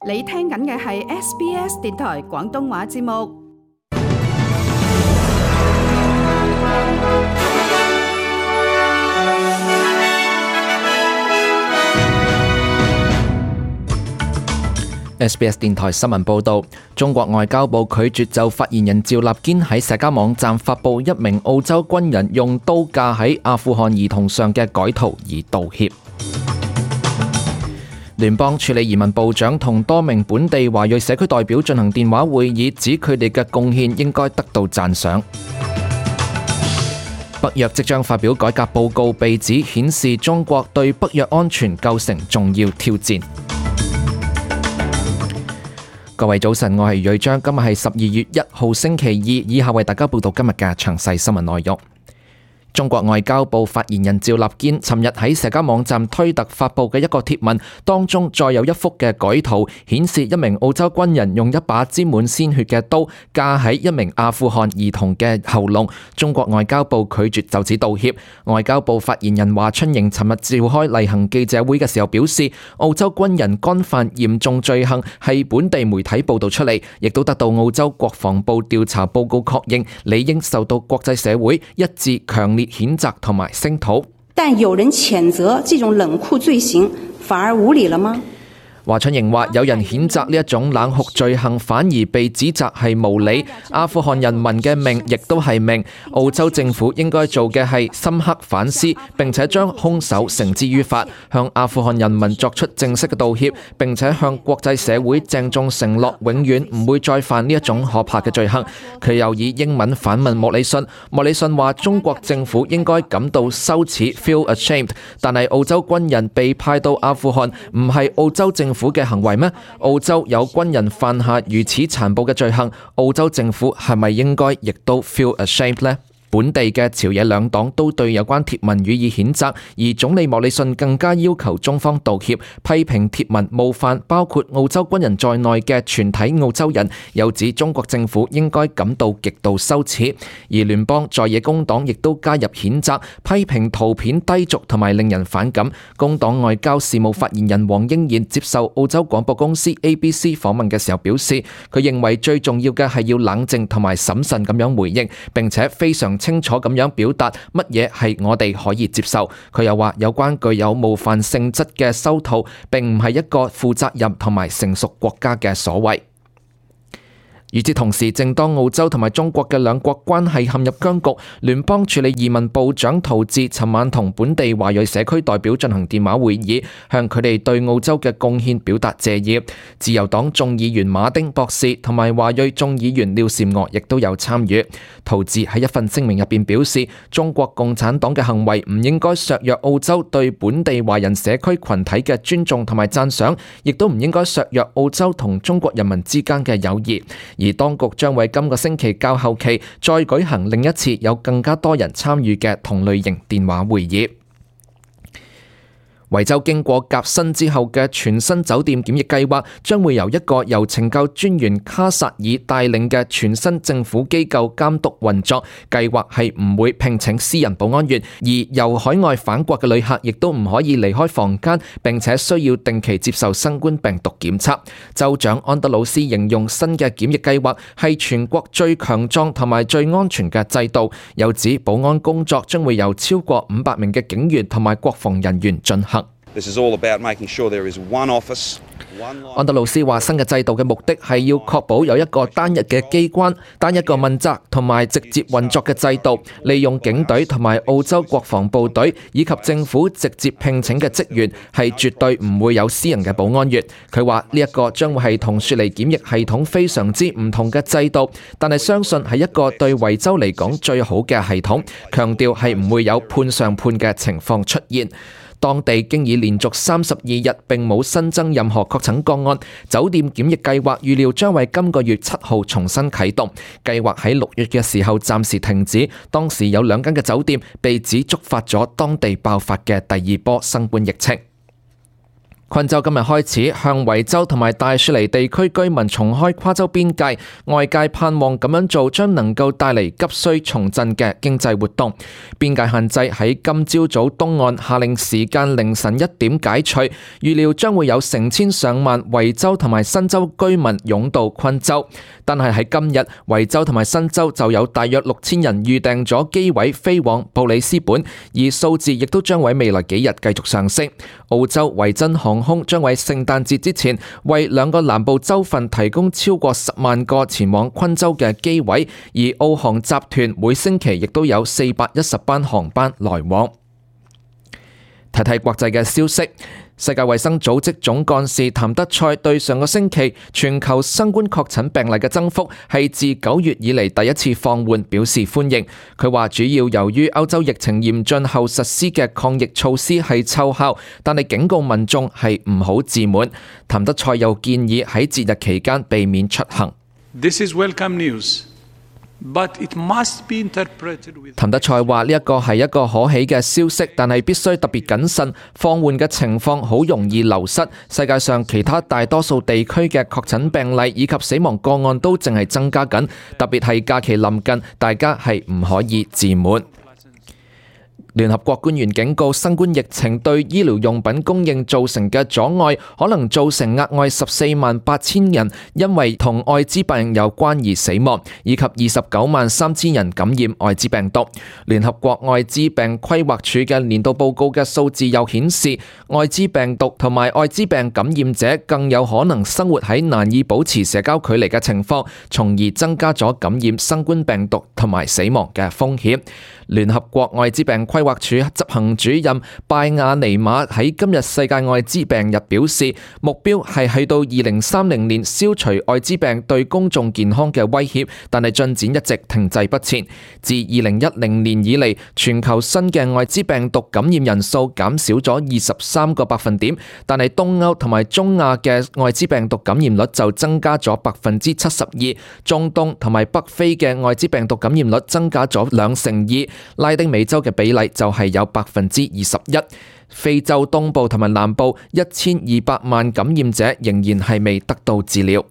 你聽緊嘅係 SBS 電台廣東話節目。SBS 電台新聞報導，中國外交部拒絕就發言人趙立堅喺社交網站發布一名澳洲軍人用刀架喺阿富汗兒童上嘅改圖而道歉。聯邦處理移民部長同多名本地華裔社區代表進行電話會議，指佢哋嘅貢獻應該得到讚賞。北約即將發表改革報告，被指顯示中國對北約安全構成重要挑戰。各位早晨，我係瑞章，今日係12月1號星期二，以下為大家報道今日嘅詳細新聞內容。中國外交部發言人趙立堅尋日喺社交網站推特發布嘅一個貼文當中，再有一幅嘅改圖，顯示一名澳洲軍人用一把沾滿鮮血嘅刀架喺一名阿富汗兒童嘅喉嚨。中國外交部拒絕就此道歉。外交部發言人華春瑩尋日召開例行記者會嘅時候表示，澳洲軍人干犯嚴重罪行係本地媒體報道出嚟，亦都得到澳洲國防部調查報告確認，理應受到國際社會一致強烈譴責同埋聲討。但有人譴責這種冷酷罪行，反而無理了嗎？華春瑩話：有人譴責呢一種冷酷罪行，反而被指責係無理。阿富汗人民嘅命亦都係命。澳洲政府應該做嘅係深刻反思，並且將兇手繩之於法，向阿富汗人民作出正式嘅道歉，並且向國際社會鄭重承諾，永遠唔會再犯呢一種可怕嘅罪行。佢又以英文反問莫里遜，莫里遜話中國政府應該感到羞恥 ，feel ashamed。但係澳洲軍人被派到阿富汗，唔係澳洲政府嘅行為咩？澳洲有軍人犯下如此殘暴嘅罪行，澳洲政府係咪應該亦都 feel ashamed 呢？本地嘅朝野兩黨都對有關貼文予以譴責，而總理莫里遜更加要求中方道歉，批評貼文冒犯包括澳洲軍人在內嘅全體澳洲人，又指中國政府應該感到極度羞恥。而聯邦在野工黨亦都加入譴責，批評圖片低俗同埋令人反感。工黨外交事務發言人黃英賢接受澳洲廣播公司 ABC 訪問嘅時候表示，佢認為最重要嘅係要冷靜同埋審慎咁樣回應，並且非常清楚咁樣表達乜嘢係我哋可以接受。佢又話有關具有冒犯性質嘅修圖，並唔係一個負責任同埋成熟國家嘅所為。與此同時，正當澳洲同埋中國嘅兩國關係陷入僵局，聯邦處理移民部長陶治尋晚同本地華裔社區代表進行電話會議，向佢哋對澳洲嘅貢獻表達謝意。自由黨眾議員馬丁博士同埋華裔眾議員廖善娥亦都有參與。陶治喺一份聲明入邊表示，中國共產黨嘅行為唔應該削弱澳洲對本地華人社區群體嘅尊重同埋讚賞，亦都唔應該削弱澳洲同中國人民之間嘅友誼。而當局將為今個星期較後期再舉行另一次有更加多人參與嘅同類型電話會議。維州經過革新之後嘅全新酒店檢疫計劃，將會由一個由懲教專員卡薩爾帶領嘅全新政府機構監督運作。計劃係唔會聘請私人保安員，而由海外返國嘅旅客亦都唔可以離開房間，並且需要定期接受新冠病毒檢測。州長安德魯斯形容新嘅檢疫計劃係全國最強壯同埋最安全嘅制度，又指保安工作將會由超過500名嘅警員同埋國防人員進行。安德魯斯話：新嘅制度嘅目的係要確保有一個單一嘅機關、單一個問責同埋直接運作嘅制度，利用警隊同埋澳洲國防部隊以及政府直接聘請嘅職員，係絕對唔會有私人嘅保安員。佢話呢一個將會係同雪梨檢疫系統非常之唔同嘅制度，但係相信係一個對維州嚟講最好嘅系統，強調係唔會有判上判嘅情況出現。當地經已連續32日並冇新增任何確診個案，酒店檢疫計劃預料將為今個月7號重新啟動。計劃喺6月嘅時候暫時停止，當時有2間嘅酒店被指觸發咗當地爆發嘅第2波新冠疫情。昆州今日開始向維州同埋大雪梨地區居民重開跨州邊界，外界盼望咁樣做將能夠帶嚟急需重振嘅經濟活動。邊界限制喺今朝早東岸下令時間凌晨1點解除，預料將會有成千上萬維州同埋新州居民湧到昆州。但係喺今日，維州同埋新州就有大約6000人預訂咗機位飛往布里斯本，而數字亦都將喺未來幾日繼續上升。澳洲維珍航空將喺聖誕節之前為2個南部州份提供超過10萬個前往昆州嘅機位，而澳航集團每星期亦都有410班航班來往。睇睇國際嘅消息。世界衛生組織總幹事譚德塞對上個星期全球新冠確診病例嘅增幅係自9月以嚟第一次放緩表示歡迎。佢話主要由於歐洲疫情嚴峻後實施嘅抗疫措施係奏效，但係警告民眾係唔好自滿。譚德塞又建議喺節日期間避免出行。This is welcome news. But it must be interpreted with... 譚德塞話呢一個係一個可喜嘅消息，但係必須特別謹慎。放緩嘅情況好容易流失。世界上其他大多數地區嘅確診病例以及死亡個案都淨係增加緊，特別係假期臨近，大家係唔可以自滿。聯合國官員警告，新冠疫情對醫療用品供應造成嘅阻礙，可能造成額外148000人因為同愛滋病有關而死亡，以及293000人感染愛滋病毒。聯合國愛滋病規劃署嘅年度報告嘅數字又顯示，愛滋病毒同埋愛滋病感染者更有可能生活喺難以保持社交距離嘅情況，從而增加咗感染新冠病毒同埋死亡嘅風險。聯合國愛滋病規劃署執行主任拜亞尼馬喺今日世界愛滋病日表示，目標係去到2030年消除愛滋病對公眾健康嘅威脅，但係進展一直停滯不前。自2010年以嚟，全球新嘅愛滋病毒感染人數減少咗23個百分點，但係東歐同埋中亞嘅愛滋病毒感染率就增加咗72%，中東同埋北非嘅愛滋病毒感染率增加咗2%，拉丁美洲嘅比例就係有21%，非洲東部同埋南部1200萬感染者仍然係未得到治療。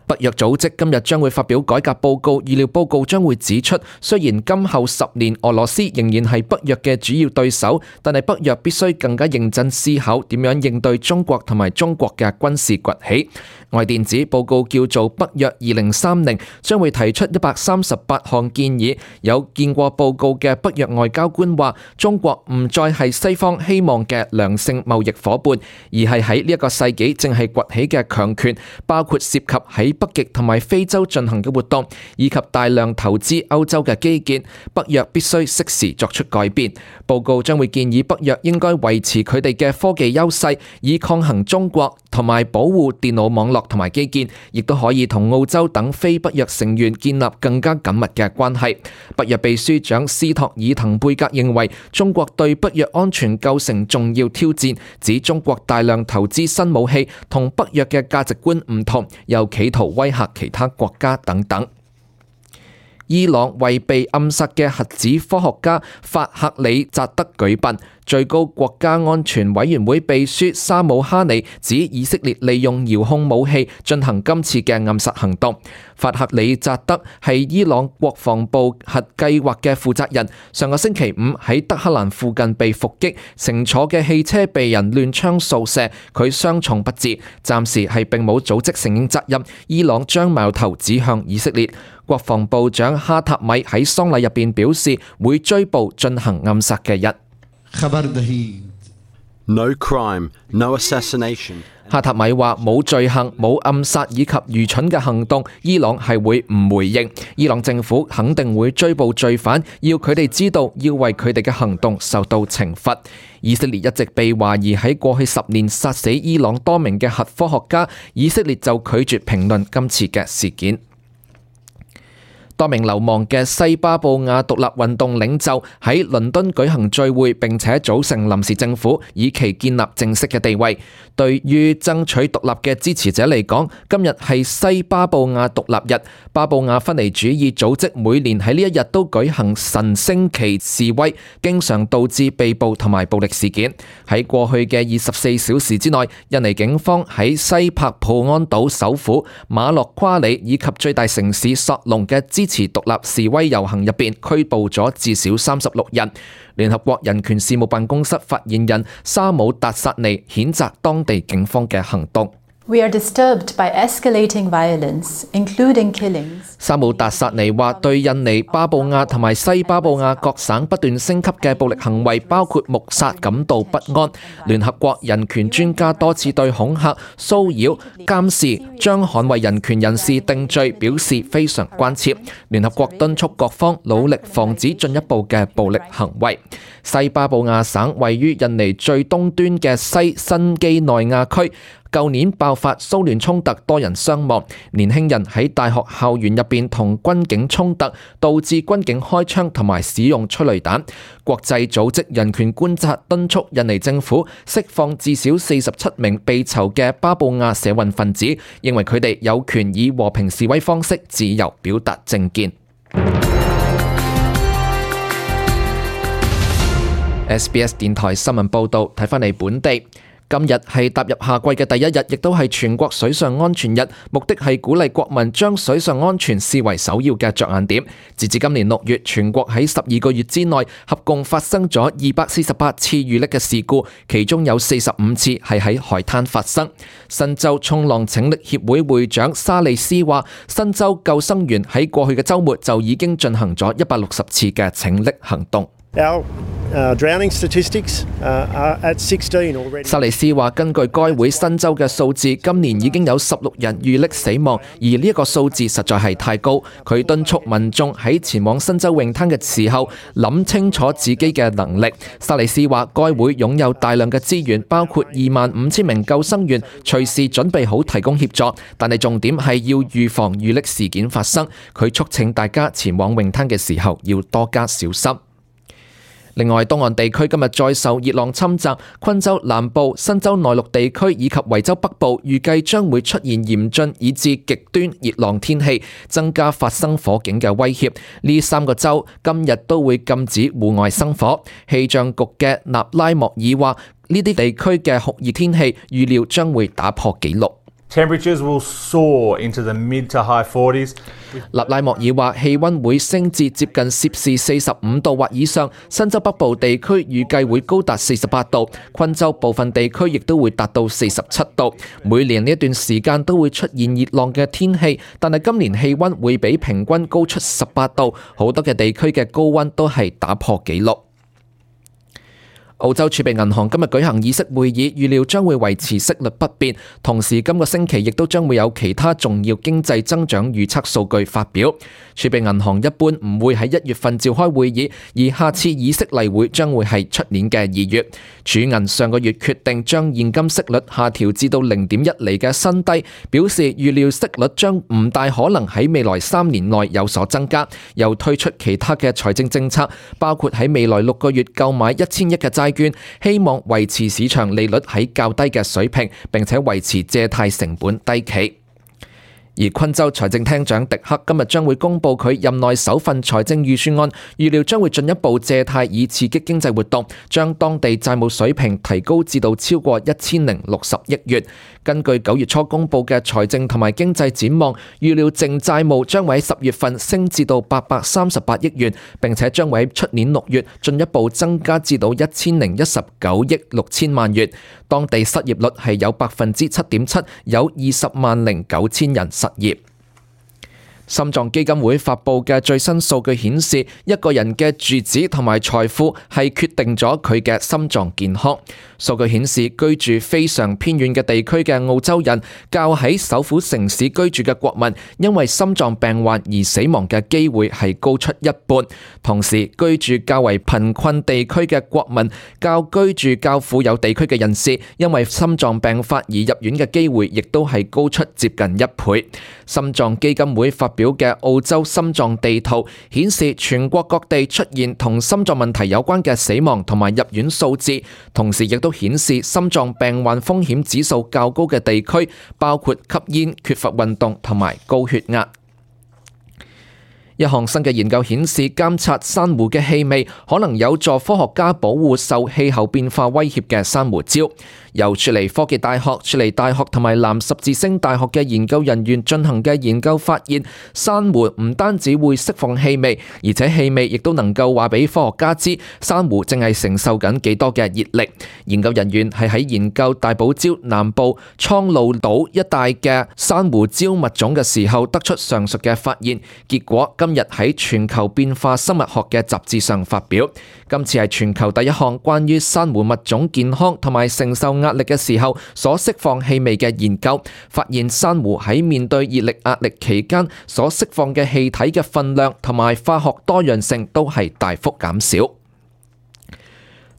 北約組織今日將會發表改革報告，預料報告將會指出，雖然今後10年俄羅斯仍然係北約嘅主要對手，但係北約必須更加認真思考點樣應對中國同埋中國嘅軍事崛起。外電指報告叫做北約2030，將會提出138項建議。有見過報告嘅北約外交官話，中國唔再係西方希望嘅良性貿易夥伴，而係喺呢一個世紀正係崛起嘅強權，包括涉及喺北極同埋非洲進行嘅活動，以及大量投資歐洲嘅基建。北約必須適時作出改變。報告將會建議北約應該維持佢哋嘅科技優勢，以抗衡中國，同埋保護電腦網絡同埋基建，亦都可以同澳洲等非北約成員建立更加緊密嘅關係。北約秘書長斯托爾滕貝格認為，中國對北約安全構成重要挑戰，指中國大量投資新武器同北約嘅價值觀唔同，又企圖威嚇其他國家等等。伊朗為被暗殺嘅核子科學家法赫里扎德舉殯。最高國家安全委員會秘書沙姆哈尼指以色列利用遙控武器進行今次嘅暗殺行動。法赫里扎德係伊朗國防部核計劃嘅負責人，上個星期5喺德黑蘭附近被伏擊，乘坐嘅汽車被人亂槍掃射，佢傷重不治，暫時係並冇組織承認責任。伊朗將矛頭指向以色列。國防部長哈塔米喺喪禮入邊表示，會追捕進行暗殺嘅人。No crime, no assassination. 哈塔米話冇罪行、冇暗殺以及愚蠢嘅行動，伊朗係會唔回應。伊朗政府肯定會追捕罪犯，要佢哋知道要為佢哋嘅行動受到懲罰。以色列一直被懷疑喺過去10年殺死伊朗多名嘅核科學家，以色列就拒絕評論今次嘅事件。多名流亡嘅西巴布亞獨立運動領袖喺倫敦舉行聚會，並且組成臨時政府，以期建立正式嘅地位。對於爭取獨立嘅支持者嚟講，今日係西巴布亞獨立日。巴布亞分離主義組織每年喺呢一日都舉行神星旗示威，經常導致被捕同埋暴力事件。喺過去嘅24小時之內，印尼警方喺西帕普安島首府馬洛夸里以及最大城市索隆嘅支持獨立示威遊行入邊拘捕咗至少36人。聯合國人權事務辦公室發言人沙姆達薩尼譴責當地警方嘅行動。We are disturbed by escalating violence, including killings. 沙姆達薩尼話：對印尼巴布亞同埋西巴布亞各省不斷升級嘅暴力行為，包括謀殺，感到不安。聯合國人權專家多次對恐嚇、騷擾、監視、將捍衛人權人士定罪表示非常關切。聯合國敦促各方努力防止進一步嘅暴力行為。西巴布亞省位於印尼最東端嘅西新畿內亞區。舊年爆發騷亂衝突，多人傷亡。年輕人喺大學校園入邊同軍警衝突，導致軍警開槍同埋使用催淚彈。國際組織人權觀察敦促印尼政府釋放至少47名被囚嘅巴布亞社運分子，認為佢哋有權以和平示威方式自由表達政見。SBS 電台新聞報導，睇返嚟本地。今日係踏入夏季嘅第一日，亦都係全國水上安全日，目的係鼓勵國民將水上安全視為首要嘅着眼點。截至今年6月，全國喺12個月之內合共發生咗248次遇溺嘅事故，其中有45次係喺海灘發生。新州衝浪拯溺協會會長沙利斯話，新州救生員喺過去嘅週末就已經進行咗160次嘅拯溺行動。Drowning statistics are at 16 already. 沙利斯話：根據該會新州嘅數字，今年已經有16人遇溺死亡，而呢一個數字實在係太高。佢敦促民眾喺前往新州泳灘嘅時候，諗清楚自己嘅能力。沙利斯話：該會擁有大量嘅資源，包括25,000名救生員，隨時準備好提供協助。但係重點係要預防遇溺事件發生。佢促請大家前往泳灘嘅時候要多加小心。另外，東岸地區今日再受熱浪侵襲，昆州南部、新州內陸地區以及維州北部預計將會出現嚴峻以至極端熱浪天氣，增加發生火警嘅威脅。呢3個州今日都會禁止戶外生火。氣象局嘅納拉莫爾話：呢啲地區嘅酷熱天氣預料將會打破紀錄。Temperatures will soar into the mid to high 40s. 納拉莫爾話氣溫會升至接近攝氏45度或以上，新州北部地區預計會高達48度，昆州部分地區亦都會達到47度。每年呢一段時間都會出現熱浪嘅天氣，但係今年氣溫會比平均高出18度，好多嘅地區嘅高溫都係打破紀錄。澳洲儲備銀行今日舉行議息會議，預料將會維持息率不變，同時今個星期亦都將會有其他重要經濟增長預測數據發表。儲備銀行一般唔會喺1月份召開會議，而下次議息例會將會係出年嘅2月。儲銀上個月決定將現金息率下調至到0.1厘嘅新低，表示預料息率將唔大可能喺未來3年內有所增加，又推出其他嘅財政政策，包括喺未來6個月購買1000億嘅債券，希望維持市場利率喺較低嘅水平，並且維持借貸成本低企。而昆州財政廳長迪克今日將會公布佢任內首份財政預算案，預料將會進一步借貸以刺激經濟活動，將當地債務水平提高至到超過1060億元。根據9月初公布嘅財政同埋經濟展望，預料淨債務將會喺10月份升至到838億元，並且將會喺出年6月進一步增加至到1019億6千萬元。當地失業率係有7.7%，有20.9萬人失業。心臟基金會發布嘅最新數據顯示，一個人嘅住址同埋財富係決定咗佢嘅心臟健康。數據顯示，居住非常偏遠嘅地區嘅澳洲人，較喺首府城市居住嘅國民，因為心臟病患而死亡嘅機會係高出一半。同時，居住較為貧困地區嘅國民，較居住較富有地區嘅人士，因為心臟病發而入院嘅機會，亦都係高出接近1倍。心臟基金會發表嘅澳洲心臟地圖，顯示全國各地出現同心臟問題有關嘅死亡同埋入院數字，同時亦都顯示心臟病患風險指數較高嘅地區，包括吸煙、缺乏運動同埋高血壓。一項新嘅研究顯示，監察珊瑚嘅氣味可能有助科學家保護受氣候變化威脅嘅珊瑚礁。由雪梨科技大學、雪梨大學同埋藍十字星大學嘅研究人員進行嘅研究發現，珊瑚唔單止會釋放氣味，而且氣味亦都能夠話俾科學家知珊瑚正係承受緊幾多嘅熱力。研究人員係喺研究大堡礁南部蒼鷺島一帶嘅珊瑚礁物種嘅時候，得出上述嘅發現。結果今日喺全球變化生物學嘅雜誌上發表。今次係全球第一項關於珊瑚物種健康同埋承受壓力嘅時候所釋放氣味嘅研究，發現珊瑚喺面對熱力壓力期間所釋放嘅氣體嘅分量同埋化學多樣性都係大幅減少。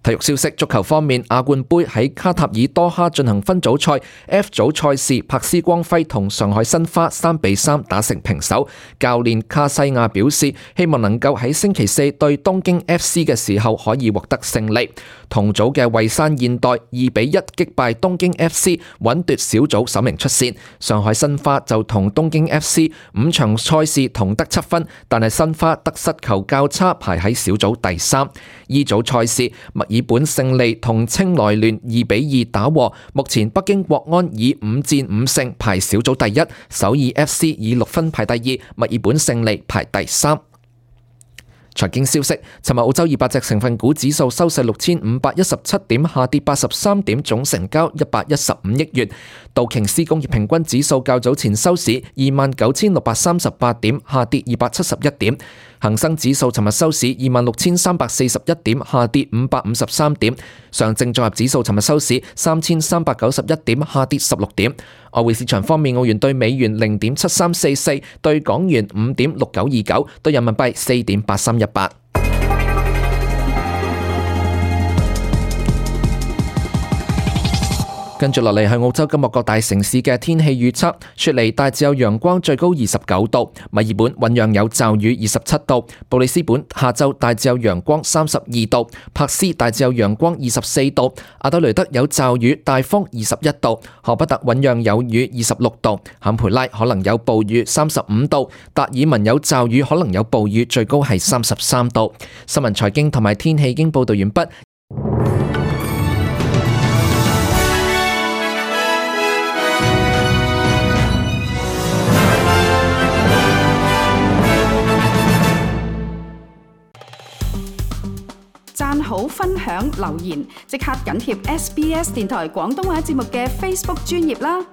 體育消息，足球方面，亞冠盃喺卡塔爾多哈進行分組賽 F 組賽事，柏斯光輝同上海申花3-3打成平手。教練卡西亞表示，希望能夠喺星期四對東京 FC 嘅時候可以獲得勝利。同組嘅蔚山現代2-1擊敗東京 FC， 穩奪小組首名出線。上海申花就同東京 FC 5場賽事同得7分，但係申花得失球較差，排喺小組第3。E 組賽事，墨爾本勝利同清萊聯2-2打和，目前北京國安以5戰5勝排小組第1，首爾 FC 以6分排第2，墨爾本勝利排第3。財經消息，尋日澳洲200隻成分股指數收市6517點，下跌83點，總成交115億元。道瓊斯工業平均指數較早前收市29638點，下跌271點。恒生指數尋日收市26341點，下跌553點。上證綜合指數尋日收市3391點，下跌16點。外匯市場方面，澳元對美元0.7344，對港元5.6929，對人民幣4.8318。跟住落嚟係澳洲今日各大城市嘅天氣預測。雪梨大致有陽光，最高29度；墨爾本醞釀有驟雨，27度；布里斯本下晝大致有陽光，32度；珀斯大致有陽光，24度；阿德雷德有驟雨，大風，21度；荷伯特醞釀有雨，26度；坎培拉可能有暴雨，35度；達爾文有驟雨，可能有暴雨，最高係33度。新聞財經同埋天氣已經報道完畢。讚好、分享、留言，即刻緊貼SBS 電台廣東話節目嘅 Facebook 專頁啦！